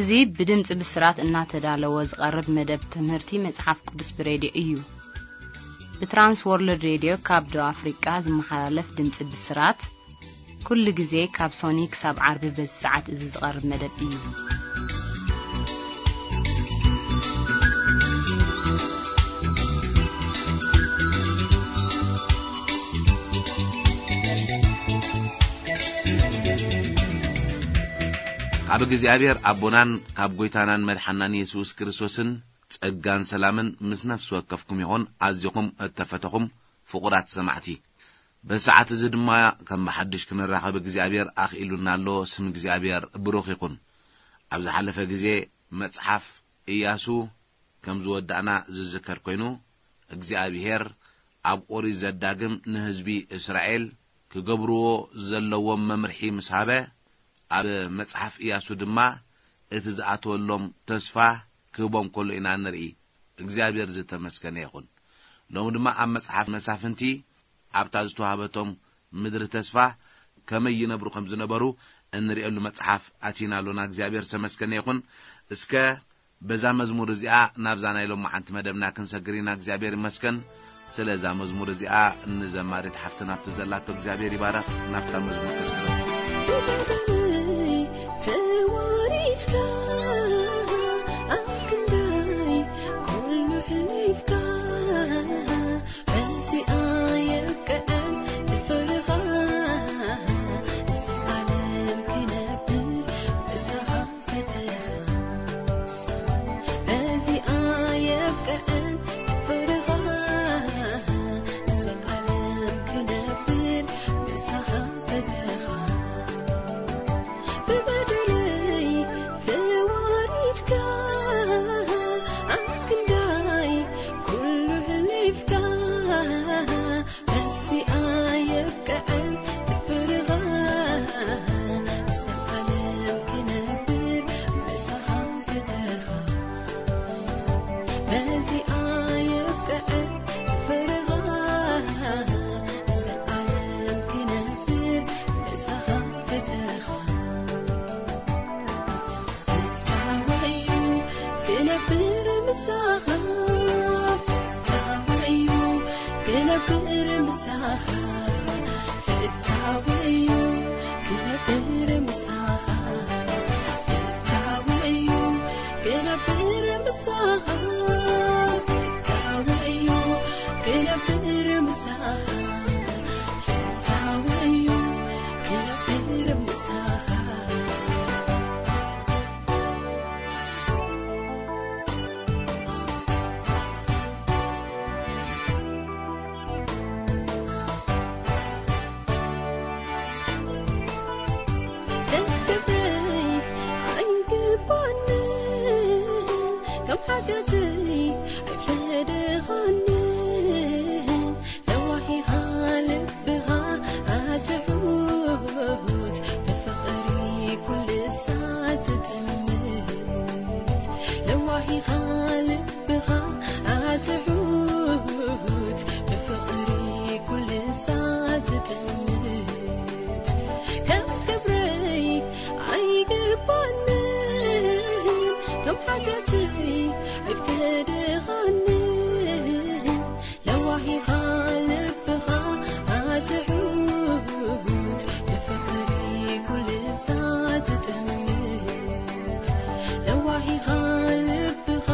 እዚ ብድምጺ ብስራት እናተዳለወ ዝቐርብ መደብ ትምህርቲ መጽሓፍ ቅዱስ ብሬድዮ እዩ። ብትራንስ ወርልድ ሬድዮ ካብ ደቡብ ኣፍሪቃ ዝመሓላለፍ ድምጺ ብስራት፣ ኩሉ ግዜ ካብ ሶኒ ክሳብ ዓርቢ በዚ ሰዓት እዚ ዝቐርብ መደብ እዩ። ካብ እግዚኣብሔር ኣቦናን ካብ ጐይታናን መድሓናን የሱስ ክርስቶስን ጸጋን ሰላምን ምስ ነፍሲ ወከፍኩም ይኹን። ኣዚኹም እተፈተኹም ፍቑራት ሰማዕቲ፣ በዚ ሰዓት እዚ ድማ ከም ብሓድሽ ክንራኸብ እግዚኣብሔር ኣኽኢሉና ኣሎ። ስም እግዚኣብሔር ብሩኽ ይኹን። ኣብ ዝሓለፈ ግዜ መጽሓፍ ኢያሱ ከም ዝወዳእና ዝዝከር ኮይኑ፣ እግዚኣብሔር ኣብ ኦሪት ዘዳግም ንህዝቢ እስራኤል ክገብርዎ ዘለዎም መምርሒ ምስ ሃበ፣ ኣብ መጽሓፍ ኢያሱ ድማ እቲ ዝኣተወሎም ተስፋ ክህቦም ከሎ ኢና ንርኢ። እግዚኣብሔር ዝተመስገነ ይኹን። ሎሚ ድማ ኣብ መጽሓፍ መሳፍንቲ ኣብታ ዝተዋህበቶም ምድሪ ተስፋ ከመይ ይነብሩ ከም ዝነበሩ እንርእየሉ መጽሓፍ ኣቲና ኣሎና። እግዚኣብሔር ዝተመስገነ ይኹን። እስከ በዛ መዝሙር እዚኣ ናብዛ ናይ ሎማዓንቲ መደብና ክንሰግር ኢና። እግዚኣብሔር ይመስገን። ስለዛ መዝሙር እዚኣ ንዘማሪት ሓፍትና ኣብቲ ዘላቶ እግዚኣብሔር ይባረኽ። ናብታ መዝሙር ከስግረኩም። ተዋሪድካ ኣብ ክንደይ ኩሉ ሕሊፍካ፣ በዚኣ የብቅዐን ዝፈረኻ፣ ንዘለኣለም ክነብር ምሳኻ ፈተኻ። በዚኣ የብቅዐን ዝፈረኻ፣ ንዘለኣለም ክነብር ምሳኻ ፈተኻ። ብበደለይ ተዋሪድካ፣ ኣብ ክንዳይ ኩሉ ሕሊፍካ፣ በዚኣ የብቅዐን ዝፈረኻ፣ ንዘለኣለም ክነብር ምሳኻ ፈተኻ። በዚኣ የብቅዐን ዝፈረኻ፣ ንዘለኣለም ክነብር ምሳኻ ፈተኻ። ፍታወዩ ክነብር ምሳኻ፣ ፍታወዩ ክነብር ምሳኻ፣ ፍታወዩ ክነብር ምሳኻ፣ ፍታወዩ ክነብር ምሳኻ፣ ፍታወዩ ክነብር ምሳኻ፣ ፍታወዩ ክነብር ምሳኻ። ክብረይ ኣይገባንን፣ ከም ሓጢኣተይ ኣይፈደኻንን። ለዋሂኻ ልብኻ ኣትሑት፣ ብፍቕሪ ኩሉ ሳት ትጠምት። ለዋሂኻ ልብኻ ኣትሑት፣ ብፍቕሪ ኩሉ ሳት ትጠምት። ከም ክብረይ ኣይገባንን፣ ከም ሓጢኣተይ ኣይፈደኻንን። ለዋሂኻ ልብኻ ኣትሑት፣ ብፍቕሪ ኩሉ ሳት ትጠምት። ለዋሂኻ ልብኻ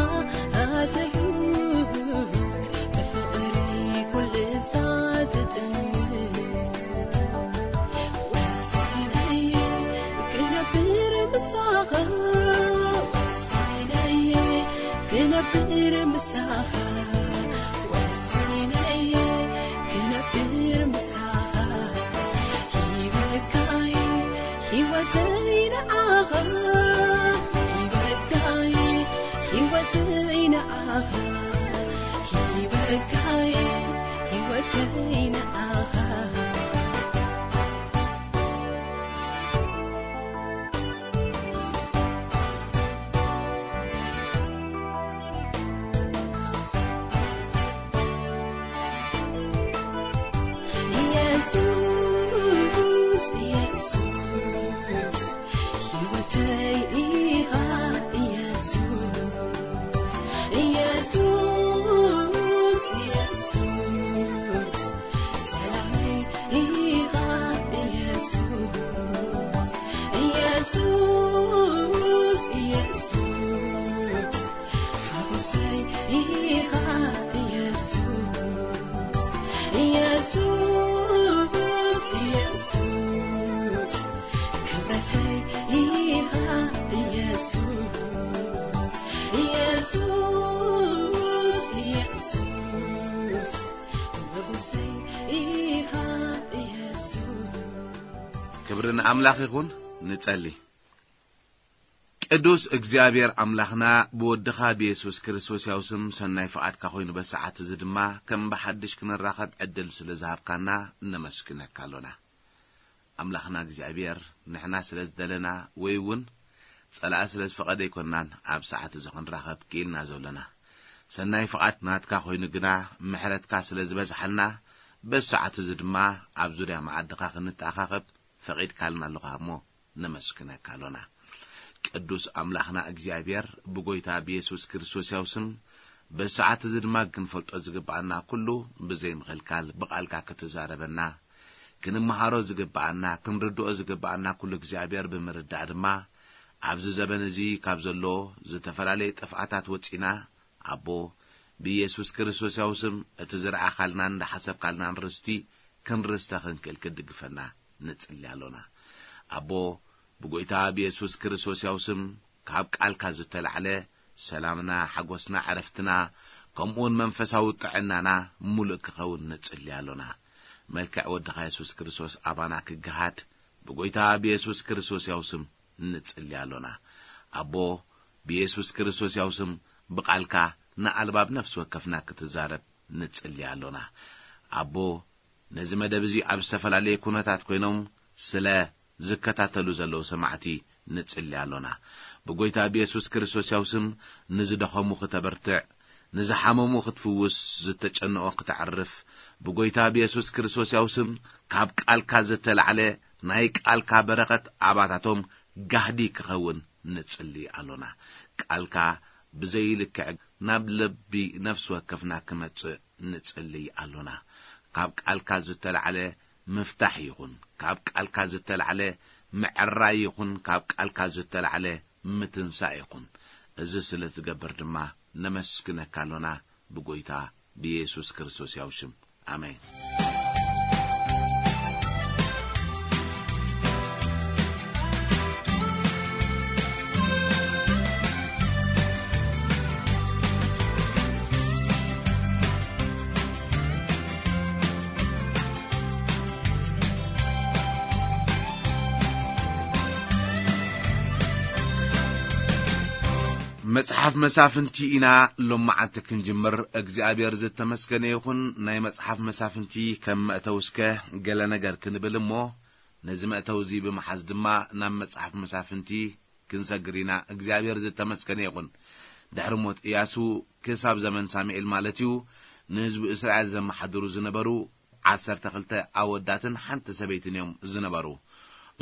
ኣትሑት፣ ብፍቕሪ ኩሉ ሳት ትጠምት። ወሲነየ ክነብር ምሳኻ፣ ወሲነየ ክነብር ምሳኻ፣ ወሲነየ ክነብር ምሳኻ። ሂበካይ ህይወተይ ንዓኻ፣ ሂበካይ ህይወተይ ንዓኻ፣ ሂበካይ ህይወተይ ንዓኻ። ኢየሱስ፣ ኢየሱስ፣ ህይወተይ ኢኻ ኢየሱስ፣ ኢየሱስ፣ ኢየሱስ። ሰላመይ ኢኻ ኢየሱስ፣ ኢየሱስ፣ ኢየሱስ። ሓጎሰይ ኢኻ ኢየሱስ፣ ኢየሱስ፣ ኢየሱስ። ክብረተይ ኢኻ ኢየሱስ፣ ኢየሱስ፣ ኢየሱስ። መጎሰይ ኢኻ ኢየሱስ። ክብሪ ንኣምላኽ ይኹን። ንጸሊ። ቅዱስ እግዚኣብሔር ኣምላኽና፣ ብወድኻ ብየሱስ ክርስቶስ ያው ስም ሰናይ ፍቓድካ ኮይኑ በሰዓት እዚ ድማ ከም ብሓድሽ ክንራኸብ ዕድል ስለ ዝሃብካና ነመስግነካ ኣሎና። ኣምላኽና እግዚኣብሔር፣ ንሕና ስለ ዝደለና ወይ እውን ጸላኢ ስለ ዝፈቐደ ኣይኮንናን ኣብ ሰዓት እዚ ክንራኸብ ክኢልና ዘሎና። ሰናይ ፍቓድ ናትካ ኮይኑ ግና ምሕረትካ ስለ ዝበዝሓልና በዚ ሰዓት እዚ ድማ ኣብ ዙርያ መዓድኻ ክንተኣኻኸብ ፈቒድካልና ኣለኻ እሞ ነመስግነካ ኣሎና። ቅዱስ ኣምላኽና እግዚኣብሔር፣ ብጎይታ ብየሱስ ክርስቶስ ያው ስም በዚ ሰዓት እዚ ድማ ክንፈልጦ ዝግብኣና ኩሉ ብዘይ ምኽልካል ብቓልካ ክትዛረበና፣ ክንመሃሮ ዝግብኣና፣ ክንርድኦ ዝግብኣና ኩሉ እግዚኣብሔር ብምርዳእ ድማ ኣብዚ ዘበን እዚ ካብ ዘሎ ዝተፈላለየ ጥፍኣታት ወጺና ኣቦ ብኢየሱስ ክርስቶስ ያው ስም እቲ ዝረኣኻልናን ዝሓሰብካልናን ርስቲ ክንርስተ ክንክእል ክትድግፈና ንጽሊ ኣሎና። ኣቦ ብጎይታ ብየሱስ ክርስቶስ ያው ስም ካብ ቃልካ ዝተላዕለ ሰላምና፣ ሓጎስና፣ ዕረፍትና ከምኡውን መንፈሳዊ ጥዕናና ሙሉእ ክኸውን ንጽሊ ኣሎና። መልክዕ ወድኻ የሱስ ክርስቶስ ኣባና ክገሃድ ብጎይታ ብየሱስ ክርስቶስ ያው ስም ንጽሊ ኣሎና። ኣቦ ብየሱስ ክርስቶስ ያው ስም ብቓልካ ንኣልባብ ነፍሲ ወከፍና ክትዛረብ ንጽሊ ኣሎና። ኣቦ ነዚ መደብ እዚ ኣብ ዝተፈላለየ ኩነታት ኮይኖም ስለ ዝከታተሉ ዘለዉ ሰማዕቲ ንጽሊ ኣሎና። ብጎይታ ብየሱስ ክርስቶስ ያው ስም ንዝደኸሙ ክተበርትዕ፣ ንዝሓመሙ ክትፍውስ፣ ዝተጨነቖ ክተዕርፍ፣ ብጎይታ ብየሱስ ክርስቶስ ያው ስም ካብ ቃልካ ዝተላዕለ ናይ ቃልካ በረኸት ኣባታቶም ጋህዲ ክኸውን ንጽሊ ኣሎና። ቃልካ ብዘይልክዕ ናብ ልቢ ነፍሲ ወከፍና ክመጽእ ንጽሊ ኣሎና። ካብ ቃልካ ዝተላዕለ ምፍታሕ ይኹን፣ ካብ ቃልካ ዝተላዕለ ምዕራይ ይኹን፣ ካብ ቃልካ ዝተላዕለ ምትንሳእ ይኹን። እዚ ስለ ትገብር ድማ ነመስግነካ ኣሎና፣ ብጎይታ ብየሱስ ክርስቶስ ያው ሽም። ኣሜን። መጽሓፍ መሳፍንቲ ኢና ሎማዓንቲ ክንጅምር። እግዚኣብሔር ዝተመስገነ ይኹን። ናይ መጽሓፍ መሳፍንቲ ከም መእተዊ እስከ ገለ ነገር ክንብል እሞ፣ ነዚ መእተዊ እዚ ብምሓዝ ድማ ናብ መጽሓፍ መሳፍንቲ ክንሰግር ኢና። እግዚኣብሔር ዝተመስገነ ይኹን። ድሕሪ ሞት እያሱ ክሳብ ዘመን ሳሙኤል ማለት እዩ፣ ንህዝቢ እስራኤል ዘመሓድሩ ዝነበሩ ዓሰርተ ክልተ ኣወዳትን ሓንቲ ሰበይትን እዮም ዝነበሩ።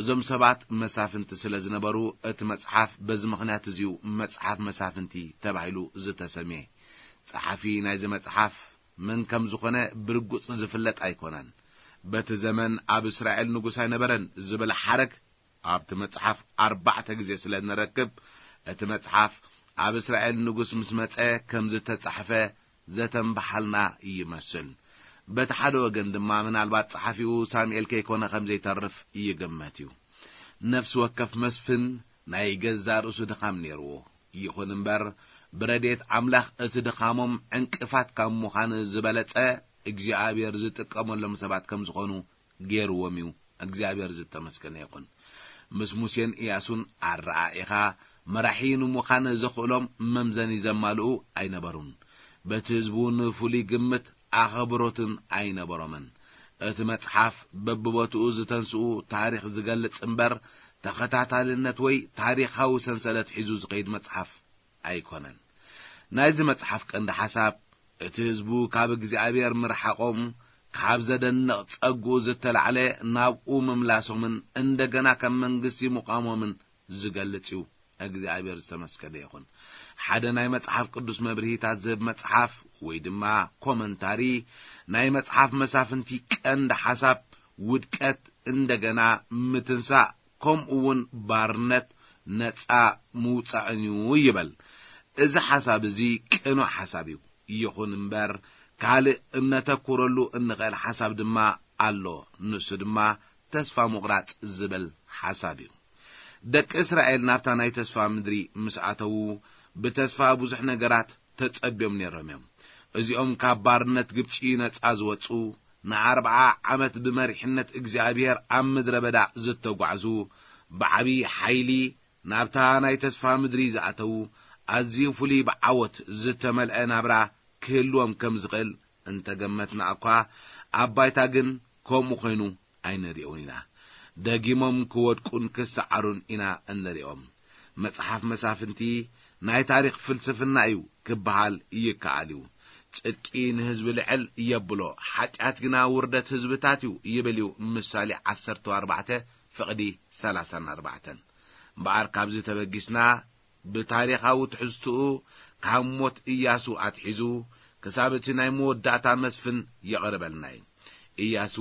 እዞም ሰባት መሳፍንቲ ስለ ዝነበሩ፣ እቲ መጽሓፍ በዚ ምኽንያት እዚዩ መጽሓፍ መሳፍንቲ ተባሂሉ ዝተሰምየ። ጸሓፊ ናይዚ መጽሓፍ መን ከም ዝኾነ ብርጉጽ ዝፍለጥ ኣይኮነን። በቲ ዘመን ኣብ እስራኤል ንጉስ ኣይነበረን ዝብል ሓረግ ኣብቲ መጽሓፍ ኣርባዕተ ግዜ ስለ እንረክብ፣ እቲ መጽሓፍ ኣብ እስራኤል ንጉስ ምስ መጸ ከም ዝተጻሕፈ ዘተንበሓልና ይመስል። በቲ ሓደ ወገን ድማ ምናልባት ጸሓፊኡ ሳሙኤል ከይኮነ ከም ዘይተርፍ ይግመት እዩ። ነፍሲ ወከፍ መስፍን ናይ ገዛእ ርእሱ ድኻም ነይርዎ። ይኹን እምበር፣ ብረድኤት ኣምላኽ እቲ ድኻሞም ዕንቅፋት ካብ ምዃን ዝበለጸ እግዚኣብሔር ዝጥቀመሎም ሰባት ከም ዝኾኑ ገይርዎም እዩ። እግዚኣብሔር ዝተመስገነ ይኹን። ምስ ሙሴን ኢያሱን ኣረኣኢኻ መራሒ ንምዃን ዘኽእሎም መምዘኒ ዘማልኡ ኣይነበሩን። በቲ ህዝቢ እውን ፍሉይ ግምት ኣኸብሮትን ኣይነበሮምን። እቲ መጽሓፍ በብቦትኡ ዝተንስኡ ታሪኽ ዝገልጽ እምበር፣ ተኸታታልነት ወይ ታሪኻዊ ሰንሰለት ሒዙ ዝኸይድ መጽሓፍ ኣይኮነን። ናይዚ መጽሓፍ ቀንዲ ሓሳብ፣ እቲ ህዝቡ ካብ እግዚኣብሔር ምርሓቖም፣ ካብ ዘደንቕ ጸግኡ ዝተላዕለ ናብኡ ምምላሶምን እንደገና ከም መንግስቲ ምቋሞምን ዝገልጽ እዩ። እግዚኣብሔር ዝተመስገነ ይኹን። ሓደ ናይ መጽሓፍ ቅዱስ መብርሂታት ዝህብ መጽሓፍ ወይ ድማ ኮመንታሪ፣ ናይ መጽሓፍ መሳፍንቲ ቀንዲ ሓሳብ ውድቀት፣ እንደገና ምትንሳእ፣ ከምኡ እውን ባርነት ነጻ ምውጻእን እዩ ይበል። እዚ ሓሳብ እዚ ቅኑዕ ሓሳብ እዩ። ይኹን እምበር፣ ካልእ እነተኩረሉ እንኽእል ሓሳብ ድማ ኣሎ። ንሱ ድማ ተስፋ ምቑራጽ ዝብል ሓሳብ እዩ። ደቂ እስራኤል ናብታ ናይ ተስፋ ምድሪ ምስ ኣተዉ፣ ብተስፋ ብዙሕ ነገራት ተጸብዮም ነይሮም እዮም። እዚኦም ካብ ባርነት ግብጺ ነጻ ዝወጹ፣ ንኣርብዓ ዓመት ብመሪሕነት እግዚኣብሔር ኣብ ምድረ በዳ ዝተጓዕዙ፣ ብዓቢ ሓይሊ ናብታ ናይ ተስፋ ምድሪ ዝኣተዉ፣ ኣዝዩ ፍሉይ ብዓወት ዝተመልአ ናብራ ክህልዎም ከም ዝኽእል እንተገመትና እኳ፣ ኣብ ባይታ ግን ከምኡ ኮይኑ ኣይንሪኦን ኢና። ደጊሞም ክወድቁን ክሰዓሩን ኢና እንሪኦም። መጽሓፍ መሳፍንቲ ናይ ታሪኽ ፍልስፍና እዩ ክበሃል ይከኣል እዩ። ጽድቂ ንህዝቢ ልዕል የብሎ፣ ሓጢኣት ግና ውርደት ህዝብታት እዩ ይብል እዩ ምሳሌ ዓሰርተ ኣርባዕተ ፍቕዲ ሰላሳን ኣርባዕተን። እምበኣር ካብዚ ተበጊስና ብታሪኻዊ ትሕዝትኡ ካብ ሞት ኢያሱ ኣትሒዙ ክሳብ እቲ ናይ መወዳእታ መስፍን የቕርበልና እዩ። ኢያሱ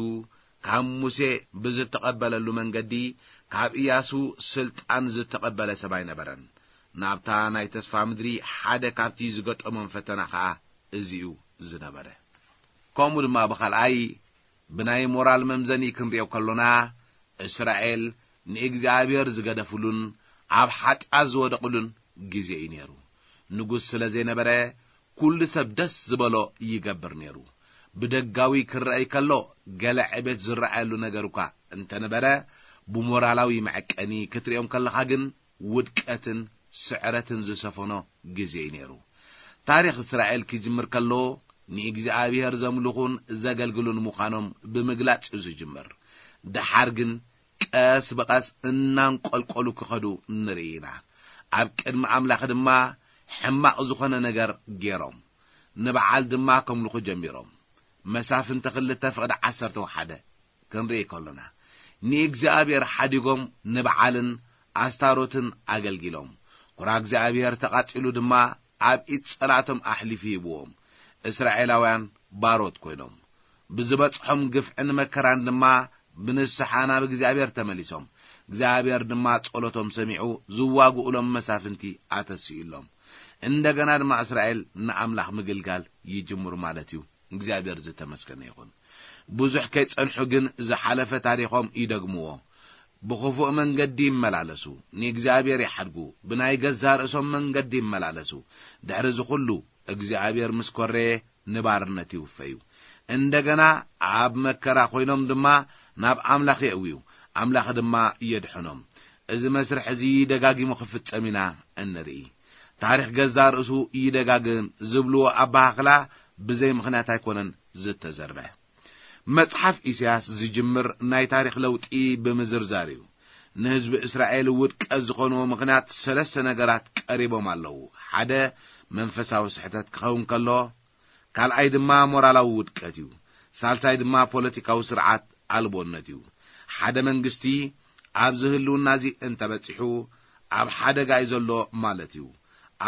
ካብ ሙሴ ብዝተቐበለሉ መንገዲ ካብ ኢያሱ ስልጣን ዝተቐበለ ሰብ ኣይነበረን። ናብታ ናይ ተስፋ ምድሪ ሓደ ካብቲ ዝገጠሞም ፈተና ኸኣ እዚ እዩ ዝነበረ። ከምኡ ድማ ብኻልኣይ ብናይ ሞራል መምዘኒ ክንሪኦ ከሎና፣ እስራኤል ንእግዚኣብሔር ዝገደፍሉን ኣብ ሓጢኣት ዝወደቕሉን ግዜ እዩ ነይሩ። ንጉስ ስለ ዘይነበረ፣ ኩሉ ሰብ ደስ ዝበሎ ይገብር ነይሩ። ብደጋዊ ክረኣይ ከሎ፣ ገለ ዕቤት ዝረኣየሉ ነገር እኳ እንተነበረ፣ ብሞራላዊ መዐቀኒ ክትሪኦም ከለኻ ግን፣ ውድቀትን ስዕረትን ዝሰፈኖ ግዜ እዩ ነይሩ። ታሪኽ እስራኤል ክጅምር ከሎ፣ ንእግዚኣብሔር ዘምልኹን ዘገልግሉን ምዃኖም ብምግላጽ እዩ ዝጅምር። ደሓር ግን ቀስ ብቐስ እናንቆልቆሉ ክኸዱ ንርኢ ኢና። ኣብ ቅድሚ ኣምላኽ ድማ ሕማቕ ዝኾነ ነገር ገይሮም፣ ንበዓል ድማ ከምልኹ ጀሚሮም። መሳፍንቲ ክልተ ፍቕዲ ዓሰርተ ሓደ ክንርኢ ከሎና፣ ንእግዚኣብሔር ሓዲጎም ንበዓልን ኣስታሮትን ኣገልጊሎም። ቁራ እግዚኣብሔር ተቓጺሉ ድማ ኣብ ኢድ ጸላእቶም ኣሕሊፉ ሂብዎም። እስራኤላውያን ባሮት ኮይኖም። ብዝበጽሖም ግፍዕን መከራን ድማ ብንስሓ ናብ እግዚኣብሔር ተመሊሶም። እግዚኣብሔር ድማ ጸሎቶም ሰሚዑ ዝዋግኡሎም መሳፍንቲ ኣተሲኡሎም። እንደገና ድማ እስራኤል ንኣምላኽ ምግልጋል ይጅምሩ ማለት እዩ። እግዚኣብሔር ዝተመስገነ ይኹን። ብዙሕ ከይጸንሑ ግን ዝሓለፈ ታሪኾም ይደግምዎ። ብኽፉእ መንገዲ ይመላለሱ፣ ንእግዚኣብሔር ይሓድጉ፣ ብናይ ገዛእ ርእሶም መንገዲ ይመላለሱ። ድሕሪ እዚ ኹሉ እግዚኣብሔር ምስ ኮረየ ንባርነት ይውፈዩ። እንደገና ኣብ መከራ ኮይኖም ድማ ናብ ኣምላኽ የእውዩ፣ ኣምላኽ ድማ የድሕኖም። እዚ መስርሕ እዚ ደጋጊሙ ክፍጸም ኢና እንርኢ። ታሪኽ ገዛእ ርእሱ ይደጋግም ዝብልዎ ኣበሃኽላ ብዘይ ምኽንያት ኣይኮነን ዝተዘርበ። መጽሓፍ ኢሳያስ ዝጅምር ናይ ታሪኽ ለውጢ ብምዝርዛር እዩ። ንህዝቢ እስራኤል ውድቀት ዝኾንዎ ምኽንያት ሰለስተ ነገራት ቀሪቦም ኣለዉ። ሓደ፣ መንፈሳዊ ስሕተት ክኸውን ከሎ፣ ካልኣይ ድማ ሞራላዊ ውድቀት እዩ። ሳልሳይ ድማ ፖለቲካዊ ስርዓት ኣልቦነት እዩ። ሓደ መንግስቲ ኣብዚ ህልውና እዚ እንተበጺሑ፣ ኣብ ሓደጋ እዩ ዘሎ ማለት እዩ።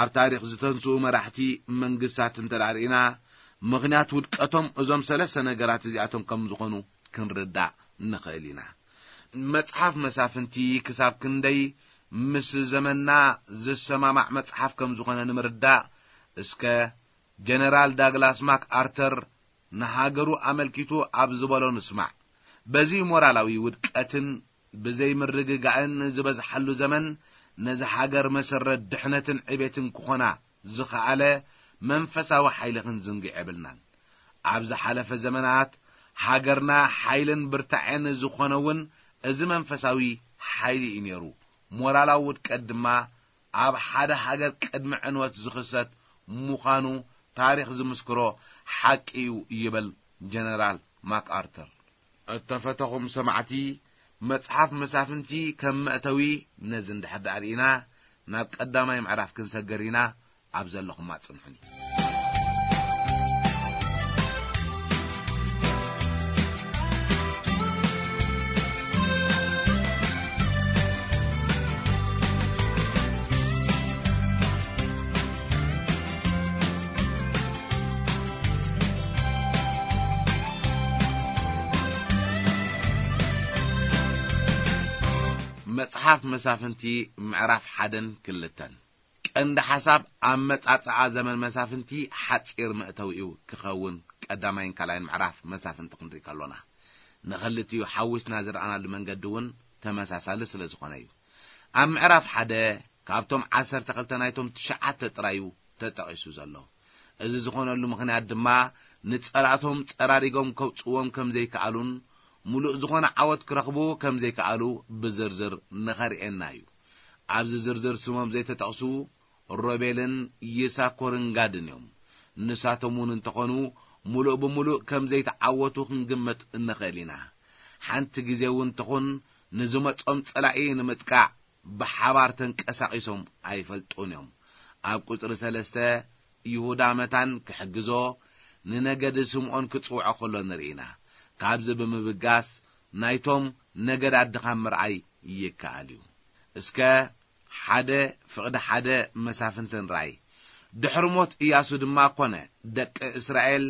ኣብ ታሪኽ ዝተንስኡ መራሕቲ መንግስታት እንተ ደኣ ርኢና፣ ምኽንያት ውድቀቶም እዞም ሰለስተ ነገራት እዚኣቶም ከም ዝኾኑ ክንርዳእ ንኽእል ኢና። መጽሓፍ መሳፍንቲ ክሳብ ክንደይ ምስ ዘመንና ዝሰማማዕ መጽሓፍ ከም ዝኾነ ንምርዳእ፣ እስከ ጀነራል ዳግላስ ማክ ኣርተር ንሃገሩ ኣመልኪቱ ኣብ ዝበሎ ንስማዕ። በዚ ሞራላዊ ውድቀትን ብዘይ ምርግጋእን ዝበዝሓሉ ዘመን፣ ነዚ ሃገር መሰረት ድሕነትን ዕቤትን ክኾና ዝኸኣለ መንፈሳዊ ሓይሊ ክንዝንግዕ የብልናን። ኣብ ዝሓለፈ ዘመናት ሃገርና ሓይልን ብርታዐን ዝኾነ እውን እዚ መንፈሳዊ ሓይሊ እዩ ነይሩ። ሞራላዊ ውድቀት ድማ ኣብ ሓደ ሃገር ቅድሚ ዕንወት ዝኽሰት ምዃኑ ታሪኽ ዝምስክሮ ሓቂ እዩ ይብል ጀነራል ማክኣርተር። እተፈተኹም ሰማዕቲ፣ መጽሓፍ መሳፍንቲ ከም መእተዊ ነዚ እንድሕር ደኣ ርኢና፣ ናብ ቀዳማይ ምዕራፍ ክንሰገር ኢና። ኣብ ዘለኹም ኣጽንሑኒ። መጽሓፍ መሳፍንቲ ምዕራፍ ሓደን ክልተን። ቀንዲ ሓሳብ ኣመጻጽኣ ዘመን መሳፍንቲ ሓጺር መእተዊኡ ክኸውን ቀዳማይን ካልኣይን ምዕራፍ መሳፍንቲ ክንርኢ ከሎና፣ ንኽልቲኡ ሓዊስና ዝረኣናሉ መንገዲ እውን ተመሳሳሊ ስለ ዝኾነ እዩ። ኣብ ምዕራፍ ሓደ ካብቶም ዓሰርተ ክልተ ናይቶም ትሽዓተ ጥራዩ ተጠቒሱ ዘሎ። እዚ ዝኾነሉ ምኽንያት ድማ ንጸላእቶም ጸራሪጎም ከውጽዎም ከም ዘይከኣሉን ምሉእ ዝኾነ ዓወት ክረኽቡ ከም ዘይከኣሉ ብዝርዝር ንኸርእየና እዩ። ኣብዚ ዝርዝር ስሞም ዘይተጠቕሱ ሮቤልን ይሳኮርን ጋድን እዮም። ንሳቶም እውን እንተኾኑ ምሉእ ብምሉእ ከም ዘይተዓወቱ ክንግመት እንኽእል ኢና። ሓንቲ ግዜ እውን ትኹን ንዝመጾም ጸላኢ ንምጥቃዕ ብሓባር ተንቀሳቒሶም ኣይፈልጡን እዮም። ኣብ ቁጽሪ ሰለስተ ይሁዳ መታን ክሕግዞ ንነገድ ስምዖን ክጽውዖ ከሎ ንርኢ ኢና። ካብዚ ብምብጋስ ናይቶም ነገድ ኣድኻም ምርኣይ ይከኣል እዩ። እስከ ሓደ ፍቕዲ ሓደ መሳፍንትን ራእይ። ድሕሪ ሞት እያሱ ድማ ኮነ፣ ደቂ እስራኤል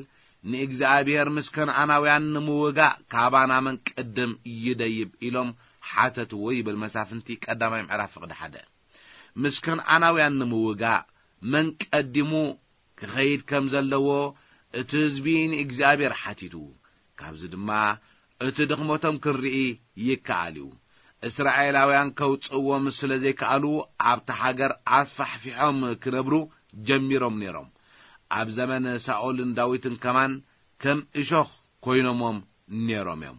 ንእግዚኣብሔር ምስ ከነኣናውያን ንምውጋእ ካባና መን ቅድም ይደይብ ኢሎም ሓተትዎ ይብል መሳፍንቲ ቀዳማይ ምዕራፍ ፍቕዲ ሓደ። ምስ ከነኣናውያን ንምውጋእ መን ቀዲሙ ክኸይድ ከም ዘለዎ እቲ ህዝቢ ንእግዚኣብሔር ሓቲቱ። ካብዚ ድማ እቲ ድኽመቶም ክንርኢ ይከኣል እዩ። እስራኤላውያን ከውጽእዎም ስለ ዘይከኣሉ ኣብቲ ሃገር ኣስፋሕፊሖም ክነብሩ ጀሚሮም ነይሮም። ኣብ ዘመን ሳኦልን ዳዊትን ከማን ከም እሾኽ ኮይኖሞም ነይሮም እዮም።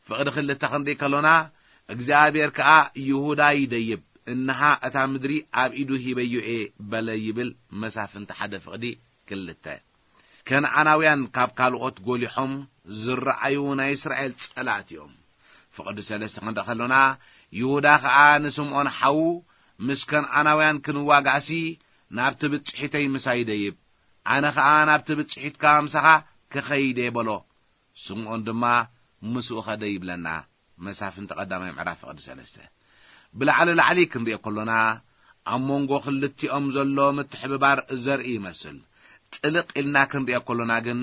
ፍቕዲ ክልተ ክንርኢ ከሎና እግዚኣብሔር ከኣ ይሁዳ ይደይብ፣ እንሃ እታ ምድሪ ኣብ ኢዱ ሂበዮ እየ በለ ይብል መሳፍንቲ ሓደ ፍቕዲ ክልተ። ከነኣናውያን ካብ ካልኦት ጎሊሖም ዝረኣዩ ናይ እስራኤል ጸላእቲ እዮም። ፍቕዲ ሰለስተ ክንርኢ ከሎና ይሁዳ ከኣ ንስምዖን ሓዉ ምስ ከነኣናውያን ክንዋጋእሲ ናብቲ ብጽሒተይ ምሳይ ደይብ፣ ኣነ ኸኣ ናብቲ ብጽሒትካ ምሳኻ ክኸይድ እየ በሎ። ስምዖን ድማ ምስኡ ኸደ ይብለና መሳፍንቲ ቀዳማይ ምዕራፍ ፍቕዲ ሰለስተ። ብላዕሊ ላዕሊ ክንሪኦ ከሎና ኣብ መንጎ ክልቲኦም ዘሎ ምትሕብባር ዘርኢ ይመስል። ጥልቕ ኢልና ክንሪኦ ከሎና ግን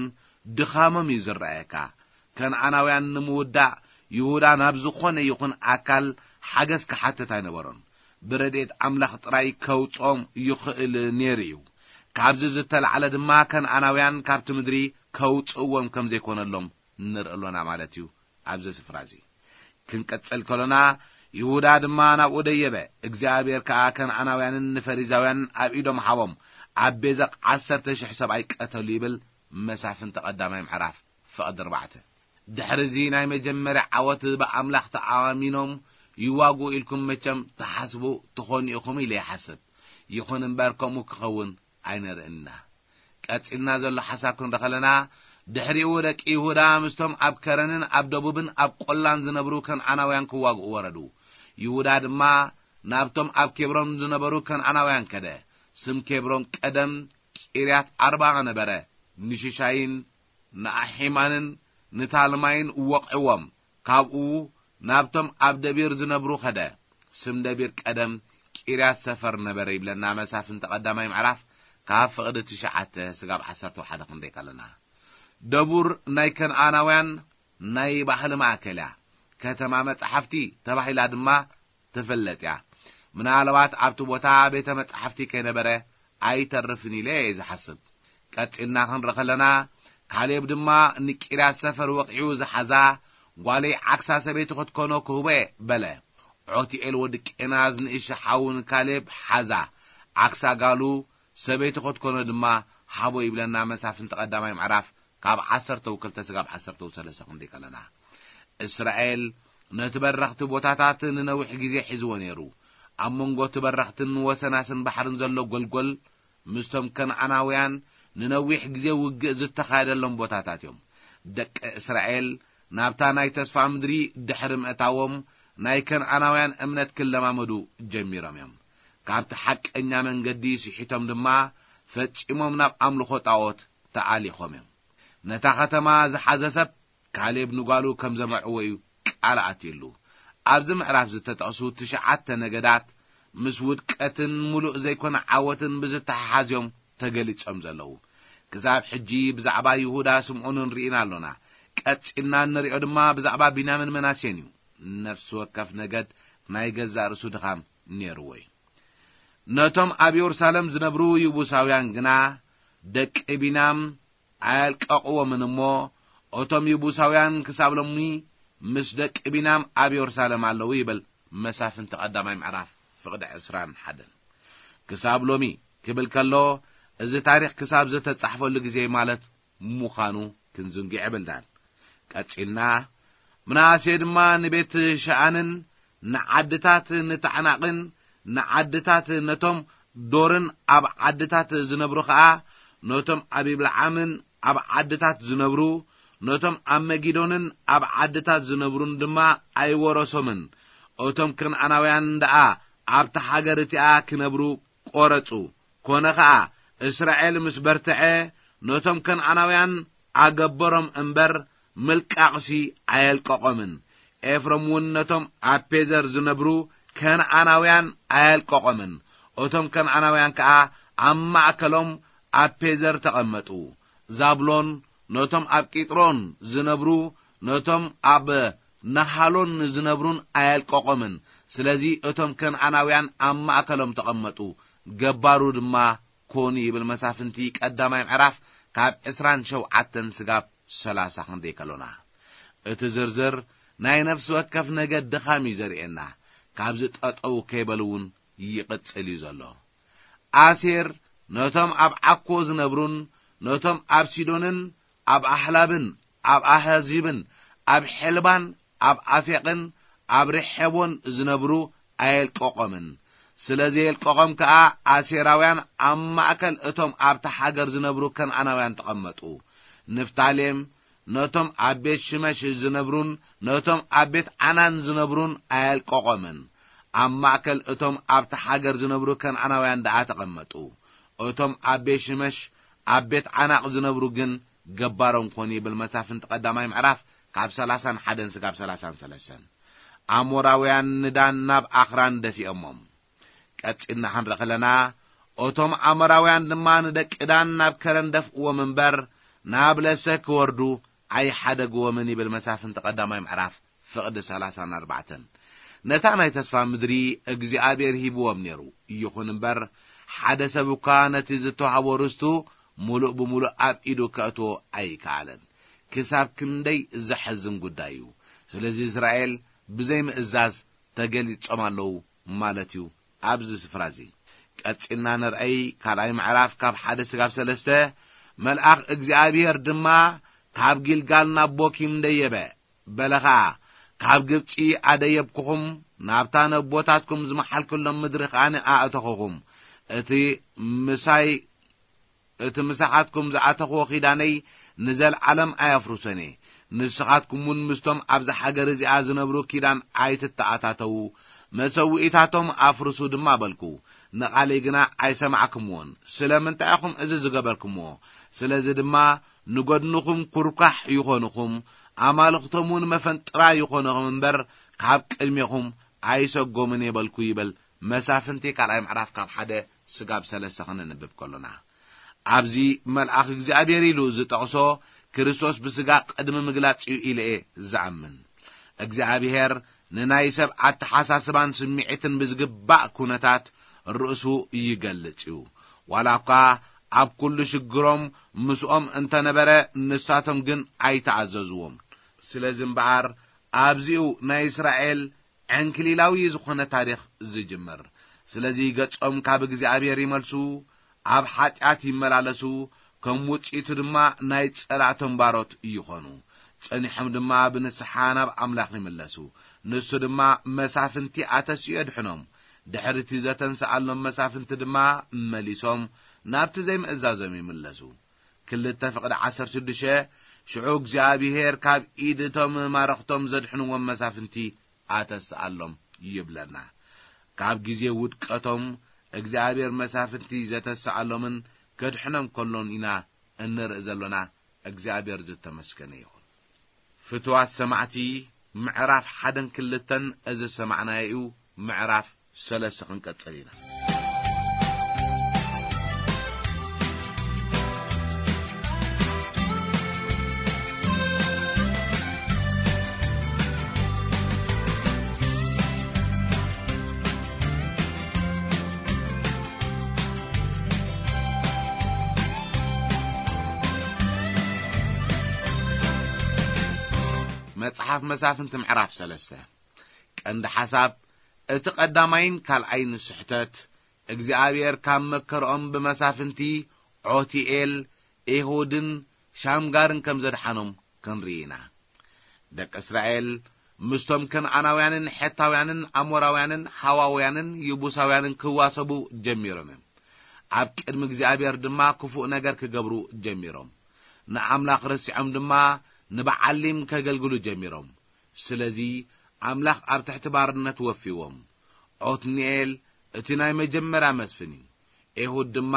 ድኻሞም እዩ ዝረኣየካ። ከነኣናውያን ንምውዳእ ይሁዳ ናብ ዝኾነ ይኹን ኣካል ሓገዝ ክሓትት ኣይነበሮን። ብረድኤት ኣምላኽ ጥራይ ከውጽኦም ይኽእል ነይሩ እዩ። ካብዚ ዝተላዕለ ድማ ከነኣናውያን ካብቲ ምድሪ ከውጽእዎም ከም ዘይኮነሎም ንርኢ ኣሎና ማለት እዩ። ኣብዚ ስፍራ እዚ ክንቀጽል ከሎና ይሁዳ ድማ ናብኡ ደየበ። እግዚኣብሔር ከኣ ከነኣናውያንን ንፈሪዛውያንን ኣብ ኢዶም ሃቦም። ኣብ ቤዘቕ ዓሰርተ ሽሕ ሰብኣይ ቀተሉ ይብል መሳፍንቲ ቀዳማይ ምዕራፍ ፍቕዲ ኣርባዕተ። ድሕሪ እዚ ናይ መጀመርያ ዓወት ብኣምላኽ ተኣማሚኖም ይዋግኡ ኢልኩም መቸም ትሓስቡ ትኾኑ ኢኹም ኢለ ይሓስብ። ይኹን እምበር ከምኡ ክኸውን ኣይንርእን ኢና። ቀጺልና ዘሎ ሓሳብ ክንርኢ ከለና ድሕሪኡ ደቂ ይሁዳ ምስቶም ኣብ ከረንን ኣብ ደቡብን ኣብ ቆላን ዝነብሩ ከነኣናውያን ክዋግኡ ወረዱ። ይሁዳ ድማ ናብቶም ኣብ ኬብሮን ዝነበሩ ከነኣናውያን ከደ። ስም ኬብሮን ቀደም ቂርያት ኣርባ ነበረ። ንሽሻይን ንኣሒማንን ንታልማይን ወቕዕዎም። ካብኡ ናብቶም ኣብ ደቢር ዝነብሩ ኸደ። ስም ደቢር ቀደም ቂርያት ሰፈር ነበረ ይብለና መሳፍንቲ ቀዳማይ ምዕራፍ ካብ ፍቕዲ ትሽዓተ ስጋብ ዓሰርተ ሓደ ክንደይ ከለና። ደቡር ናይ ከነኣናውያን ናይ ባህሊ ማእከል እያ። ከተማ መጻሕፍቲ ተባሂላ ድማ ትፍለጥ እያ። ምናልባት ኣብቲ ቦታ ቤተ መጻሕፍቲ ከይነበረ ኣይተርፍን ኢለ እየ ዝሓስብ። ቀጺልና ክንርኢ ከለና፣ ካሌብ ድማ ንቂርያት ሰፈር ወቒዑ ዝሓዛ ጓለይ ዓክሳ ሰበይቲ ክትኮኖ ክህቦ እየ በለ። ዖቲኤል ወዲ ቄናዝ ንእሽቶ ሓዉ ንካሌብ ሓዛ፣ ዓክሳ ጋሉ ሰበይቲ ክትኮኖ ድማ ሃቦ ይብለና መሳፍንቲ ቀዳማይ ምዕራፍ ካብ ዓሰርተ ክልተ ስጋብ ዓሰርተ ሰለስተ ክንደይ ከለና። እስራኤል ነቲ በረኽቲ ቦታታት ንነዊሕ ግዜ ሒዝዎ ነይሩ። ኣብ መንጎ እቲ በረኽትን ወሰናስን ባሕርን ዘሎ ጎልጎል ምስቶም ከነኣናውያን ንነዊሕ ግዜ ውግእ ዝተኻየደሎም ቦታታት እዮም። ደቂ እስራኤል ናብታ ናይ ተስፋ ምድሪ ድሕሪ ምእታዎም ናይ ከነኣናውያን እምነት ክለማመዱ ጀሚሮም እዮም። ካብቲ ሓቀኛ መንገዲ ስሒቶም ድማ ፈጺሞም ናብ ኣምልኾ ጣዖት ተኣሊኾም እዮም። ነታ ኸተማ ዝሓዘ ሰብ ካሌብ ንጓሉ ከም ዘመርዕዎ እዩ ቃል ኣትዩሉ። ኣብዚ ምዕራፍ ዝተጠቕሱ ትሽዓተ ነገዳት ምስ ውድቀትን ምሉእ ዘይኮነ ዓወትን ብዝተሓሓዝ እዮም ተገሊጾም ዘለዉ። ክሳብ ሕጂ ብዛዕባ ይሁዳ ስምዖንን ርኢና ኣሎና። ቀጺልና እንሪኦ ድማ ብዛዕባ ቢንያምን መናሴን እዩ። ነፍሲ ወከፍ ነገድ ናይ ገዛእ ርእሱ ድኻም ነይርዎ እዩ። ነቶም ኣብ የሩሳሌም ዝነብሩ ይቡሳውያን ግና ደቂ ቢንያም ኣየልቀቕዎምን እሞ፣ እቶም ይቡሳውያን ክሳብ ሎሚ ምስ ደቂ ቢንያም ኣብ የሩሳሌም ኣለዉ ይብል መሳፍንቲ ቀዳማይ ምዕራፍ ፍቕዲ ዕስራን ሓደን። ክሳብ ሎሚ ክብል ከሎ፣ እዚ ታሪኽ ክሳብ ዘተጻሕፈሉ ግዜ ማለት ምዃኑ ክንዝንግዕ የብልናን። ቀጺልና፣ ምናሴ ድማ ንቤት ሸኣንን ንዓድታት ንታዕናቕን ንዓድታት ነቶም ዶርን ኣብ ዓድታት ዝነብሩ ኸኣ፣ ነቶም ኣብ ይብልዓምን ኣብ ዓድታት ዝነብሩ፣ ነቶም ኣብ መጊዶንን ኣብ ዓድታት ዝነብሩን ድማ ኣይወረሶምን። እቶም ከነኣናውያን ደኣ ኣብታ ሃገር እቲኣ ክነብሩ ቆረጹ። ኮነ ኸኣ፣ እስራኤል ምስ በርትዐ፣ ነቶም ከነኣናውያን ኣገበሮም እምበር፣ ምልቃቕሲ ኣየልቀቖምን። ኤፍሮም እውን ነቶም ኣብ ፔዘር ዝነብሩ ከነኣናውያን ኣየልቀቖምን። እቶም ከነኣናውያን ከኣ ኣብ ማእከሎም ኣብ ፔዘር ተቐመጡ። ዛብሎን ነቶም ኣብ ቂጥሮን ዝነብሩ፣ ነቶም ኣብ ናሃሎን ዝነብሩን ኣየልቀቖምን። ስለዚ እቶም ከነኣናውያን ኣብ ማእከሎም ተቐመጡ፣ ገባሩ ድማ ኮኑ ይብል መሳፍንቲ ቀዳማይ ምዕራፍ ካብ ዕስራን ሸውዓተን ስጋብ ሰላሳ ክንደይ ከሎና። እቲ ዝርዝር ናይ ነፍሲ ወከፍ ነገድ ድኻም እዩ ዘርእየና። ካብዚ ጠጠው ከይበሉ እውን ይቕጽል እዩ ዘሎ። ኣሴር ነቶም ኣብ ዓኮ ዝነብሩን ነቶም ኣብ ሲዶንን ኣብ ኣህላብን ኣብ ኣሃዚብን ኣብ ሐልባን ኣብ ኣፌቕን ኣብ ሬሖቦን ዝነብሩ ኣየልቀቖምን። ስለ ዘየልቀቖም ከኣ ኣሴራውያን ኣብ ማእከል እቶም ኣብታ ሃገር ዝነብሩ ከነኣናውያን ተቐመጡ። ንፍታሌም ነቶም ኣብ ቤት ሽመሽ ዝነብሩን ነቶም ኣብ ቤት ዓናን ዝነብሩን ኣየልቀቖምን። ኣብ ማእከል እቶም ኣብታ ሃገር ዝነብሩ ከነኣናውያን ደኣ ተቐመጡ። እቶም ኣብ ቤት ሽመሽ ኣብ ቤት ዓናቕ ዝነብሩ ግን ገባሮም ኮኑ ይብል መሳፍንቲ ቀዳማይ ምዕራፍ ካብ ሰላሳን ሓደን ስጋብ ሰላሳን ሰለስተን። ኣሞራውያን ንዳን ናብ ኣኽራን ደፊኦሞም። ቀጺልና ክንርኢ ከለና፣ እቶም ኣሞራውያን ድማ ንደቂ ዳን ናብ ከረን ደፍእዎም እምበር፣ ናብ ለሰ ክወርዱ ኣይሓደግዎምን ይብል መሳፍንቲ ቀዳማይ ምዕራፍ ፍቕዲ ሰላሳን ኣርባዕተን። ነታ ናይ ተስፋ ምድሪ እግዚኣብሔር ሂብዎም ነይሩ። ይኹን እምበር፣ ሓደ ሰብ እኳ ነቲ ዝተዋህቦ ርስቱ ምሉእ ብምሉእ ኣብ ኢዱ ከእትዎ ኣይከኣለን። ክሳብ ክንደይ ዘሐዝን ጉዳይ እዩ። ስለዚ እስራኤል ብዘይ ምእዛዝ ተገሊጾም ኣለዉ ማለት እዩ። ኣብዚ ስፍራ እዚ ቀጺልና ንርኣይ ካልኣይ ምዕራፍ ካብ ሓደ ስጋብ ሰለስተ። መልኣኽ እግዚኣብሔር ድማ ካብ ጊልጋል ናብ ቦኪም ደየበ። በለ ኸኣ፣ ካብ ግብጺ ኣደየብኩኹም፣ ናብታ ነቦታትኩም ዝመሓልኩሎም ምድሪ ኸኣ ኣእተኹኹም። እቲ ምሳይ እቲ ምሳኻትኩም ዝኣተኽዎ ኺዳነይ ንዘለዓለም ኣየፍርሶን እየ። ንስኻትኩም እውን ምስቶም ኣብዚ ሃገር እዚኣ ዝነብሩ ኪዳን ኣይትተኣታተዉ፣ መሰውኢታቶም ኣፍርሱ ድማ በልኩ። ንቓለይ ግና ኣይሰማዕኩምዎን። ስለምንታይ ኢኹም እዚ ዝገበርኩምዎ? ስለዚ ድማ ንጎድንኹም ኩርኳሕ ይኾኑኹም፣ ኣማልኽቶም እውን መፈንጥራ ይኾኑኹም እምበር፣ ካብ ቅድሜኹም ኣይሰጎምን እየ በልኩ ይበል። መሳፍንቲ ካልኣይ ምዕራፍ ካብ ሓደ ስጋብ ሰለስተ ክንንብብ ከሎና፣ ኣብዚ መልኣኽ እግዚኣብሔር ኢሉ ዝጠቕሶ ክርስቶስ ብስጋ ቅድሚ ምግላጽ እዩ ኢለ እየ ዝኣምን። እግዚኣብሔር ንናይ ሰብ ኣተሓሳስባን ስምዒትን ብዝግባእ ኩነታት ርእሱ ይገልጽ እዩ። ዋላ እኳ ኣብ ኩሉ ሽግሮም ምስኦም እንተነበረ፣ ንሳቶም ግን ኣይተኣዘዝዎም። ስለዚ እምበኣር፣ ኣብዚኡ ናይ እስራኤል ዕንክሊላዊ ዝኾነ ታሪኽ ዝጅምር። ስለዚ ገጾም ካብ እግዚኣብሔር ይመልሱ፣ ኣብ ሓጢኣት ይመላለሱ፣ ከም ውጽኢቱ ድማ ናይ ጸላእቶም ባሮት ይኾኑ። ጸኒሖም ድማ ብንስሓ ናብ ኣምላኽ ይምለሱ። ንሱ ድማ መሳፍንቲ ኣተሲኡ የድሕኖም። ድሕሪ እቲ ዘተንስኣሎም መሳፍንቲ ድማ መሊሶም ናብቲ ዘይምእዛዞም ይምለሱ። ክልተ ፍቕዲ ዓሰርተ ሽዱሽተ፣ ሽዑ እግዚኣብሔር ካብ ኢድ እቶም ማረኽቶም ዘድሕንዎም መሳፍንቲ ኣተስኣሎም ይብለና። ካብ ግዜ ውድቀቶም እግዚኣብሔር መሳፍንቲ ዘተስኣሎምን ከድሕኖም ከሎን ኢና እንርኢ ዘሎና። እግዚኣብሔር ዝተመስገነ ይኹን። ፍትዋት ሰማዕቲ፣ ምዕራፍ ሓደን ክልተን እዚ ዝሰማዕናዮ እዩ። ምዕራፍ ሰለስተ ክንቀጽል ኢና። መጽሓፍ መሳፍንቲ ምዕራፍ ሰለስተ። ቀንዲ ሓሳብ እቲ ቀዳማይን ካልኣይን ስሕተት፣ እግዚኣብሔር ካብ መከርኦም ብመሳፍንቲ ዖቲኤል፣ ኤሁድን ሻምጋርን ከም ዘድሓኖም ክንርኢ ኢና። ደቂ እስራኤል ምስቶም ከነኣናውያንን ሔታውያንን ኣሞራውያንን ሃዋውያንን ይቡሳውያንን ክዋሰቡ ጀሚሮም እዮም። ኣብ ቅድሚ እግዚኣብሔር ድማ ክፉእ ነገር ክገብሩ ጀሚሮም። ንኣምላኽ ረሲዖም ድማ ንበዓሊም ከገልግሉ ጀሚሮም። ስለዚ ኣምላኽ ኣብ ትሕቲ ባርነት ወፊዎም። ዖትኒኤል እቲ ናይ መጀመርያ መስፍን እዩ። ኤሁድ ድማ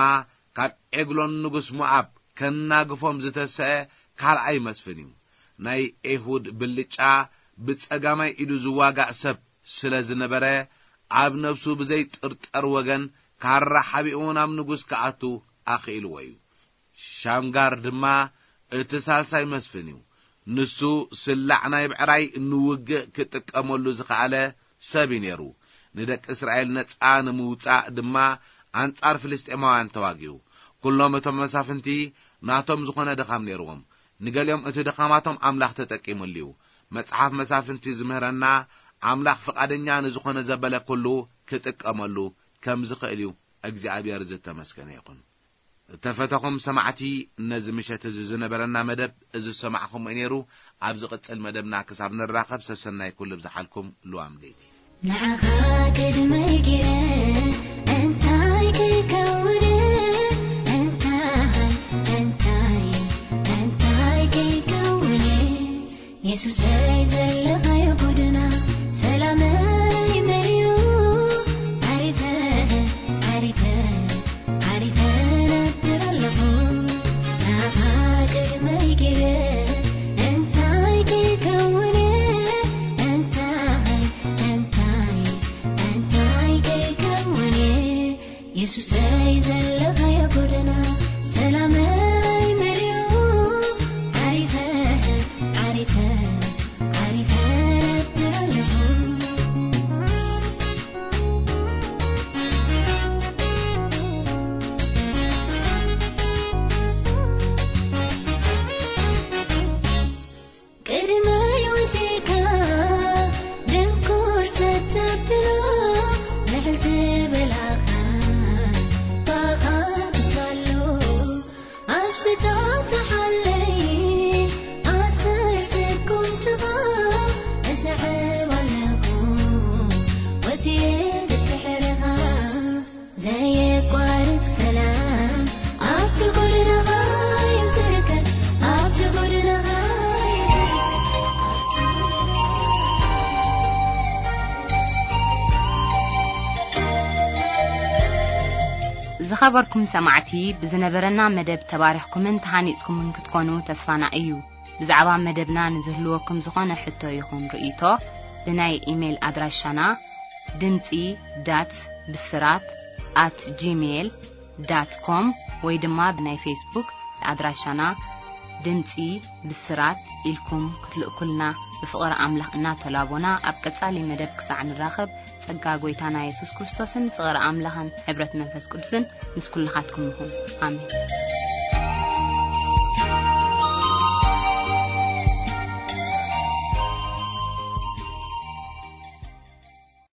ካብ ዔግሎን ንጉስ ሞኣብ ከናግፎም ዝተሰአ ካልኣይ መስፍን እዩ። ናይ ኤሁድ ብልጫ ብጸጋማይ ኢዱ ዝዋጋእ ሰብ ስለ ዝነበረ፣ ኣብ ነፍሱ ብዘይጥርጠር ወገን ካራ ሓቢኡ ናብ ንጉስ ክኣቱ ኣኽኢልዎ እዩ። ሻምጋር ድማ እቲ ሳልሳይ መስፍን እዩ። ንሱ ስላዕ ናይ ብዕራይ ንውግእ ክጥቀመሉ ዝኸኣለ ሰብ እዩ ነይሩ። ንደቂ እስራኤል ነጻ ንምውጻእ ድማ ኣንጻር ፍልስጤማውያን ተዋጊኡ። ኩሎም እቶም መሳፍንቲ ናቶም ዝኾነ ድኻም ነይርዎም። ንገሊኦም እቲ ድኻማቶም ኣምላኽ ተጠቂሙሉ እዩ። መጽሓፍ መሳፍንቲ ዝምህረና፣ ኣምላኽ ፍቓደኛ ንዝኾነ ዘበለ ኩሉ ክጥቀመሉ ከም ዝኽእል እዩ። እግዚኣብሔር ዝተመስገነ ይኹን። እተፈተኹም ሰማዕቲ፣ ነዚ ምሸት እዚ ዝነበረና መደብ እዚ ዝሰማዕኹም ነይሩ። ኣብ ዝቕጽል መደብና ክሳብ ንራኸብ፣ ሰሰናይ ኩሉ ብዝሓልኩም ልዋም ለይቲ። ንዓኻ ቅድመይ ገይረ እንታይ ከይከውን፣ እንታይ፣ እንታይ፣ እንታይ ከይከውን፣ የሱሰይ ዘለኻዮ ጎደና ሰላመይ መሊኡ፣ ዓሪፈ፣ ዓሪፈ፣ ዓሪፈ ነብር ኣለኹ። ንዓኻ ቅድመይ ገይረ እንታይ ከይከውን፣ እንታይ፣ እንታይ፣ እንታይ ከይከውን፣ የሱሰይ ዘለኻዮ ጎደና ሰላመይ መሊኡ፣ ዓሪፈ፣ ዓሪፈ፣ ዓሪፈ ነብር ኣለኹ። ቅድሚ ህይወቴካ ድንኩር ሰተብሎ፣ ልዕል ዝበላኻ ባኻ ክሳሎ፣ ኣብ ስታታ ሓለይ ኣሰር ስጉምትኻ እስዕብ ኣለኹ፣ ወትየ ብድሕርኻ። ዘየቋርጽ ሰላም ኣብቲ ጎደናኻ እዩ ዝርከብ፣ ኣብቲ ጎደናኻ እዩ ዝርከብ። ዝኸበርኩም ሰማዕቲ፣ ብዝነበረና መደብ ተባሪኽኩምን ተሃኒጽኩምን ክትኮኑ ተስፋና እዩ። ብዛዕባ መደብና ንዝህልወኩም ዝኾነ ሕቶ ይኹን ርእይቶ፣ ብናይ ኢሜይል ኣድራሻና ድምጺ ዳት ብስራት ኣት ጂሜይል ዳት ኮም ወይ ድማ ብናይ ፌስቡክ ኣድራሻና ድምጺ ብስራት ኢልኩም ክትልእኩልና ብፍቕሪ ኣምላኽ እናተላቦና፣ ኣብ ቀጻሊ መደብ ክሳዕ ንራኸብ፣ ጸጋ ጐይታና የሱስ ክርስቶስን ፍቕሪ ኣምላኽን ሕብረት መንፈስ ቅዱስን ምስ ኩልኻትኩም ይኹን። ኣሜን።